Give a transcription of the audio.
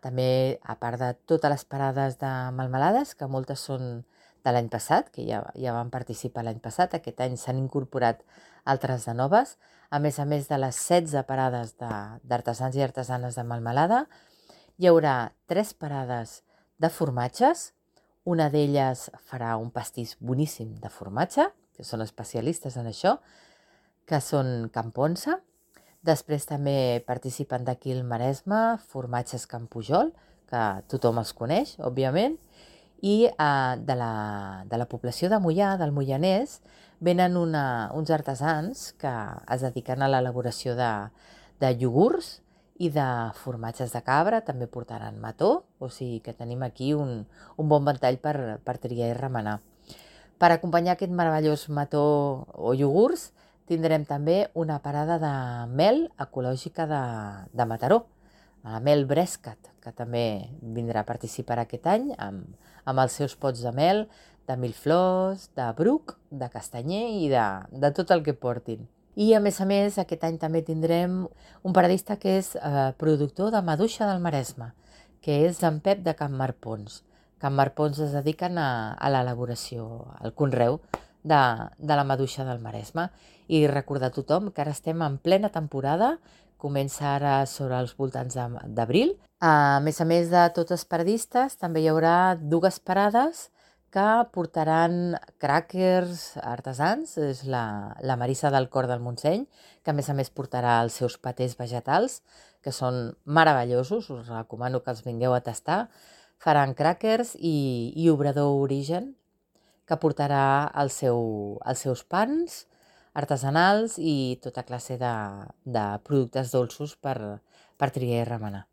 També, a part de totes les parades de melmelades, que moltes són de l'any passat, que ja van participar l'any passat, aquest any s'han incorporat altres de noves, a més de les 16 parades d'artesans i artesanes de melmelada, hi haurà 3 parades de formatges. Una d'elles farà un pastís boníssim de formatge, que són especialistes en això, que són Can Ponsa. Després també participen d'aquí el Maresme, formatges Can Pujol, que tothom els coneix, òbviament, i de la població de Moià, del Moianès, venen uns artesans que es dediquen a l'elaboració de iogurts i de formatges de cabra, també portaran mató, o sigui que tenim aquí un bon ventall per triar i remenar. Per acompanyar aquest meravellós mató o iogurts, tindrem també una parada de mel ecològica de Mataró, la mel Brescat, que també vindrà a participar aquest any amb els seus pots de mel, de mil flors, de bruc, de castanyer i de tot el que portin. I a més, aquest any també tindrem un paradista que és productor de maduixa del Maresme, que és en Pep de Can Marpons. Can Marpons es dediquen a l'elaboració, al conreu de la maduixa del Maresme. I recordar a tothom que ara estem en plena temporada, comença ara sobre els voltants d'abril. A més de tots els paradistes, també hi haurà 2 parades que portaran cràquers artesans. És la Marissa del Cor del Montseny, que a més portarà els seus patés vegetals, que són meravellosos, us recomano que els vingueu a tastar. Faran cràquers i Obrador Origen, que portarà els seus pans artesanals i tota classe de productes dolços per triar i remenar.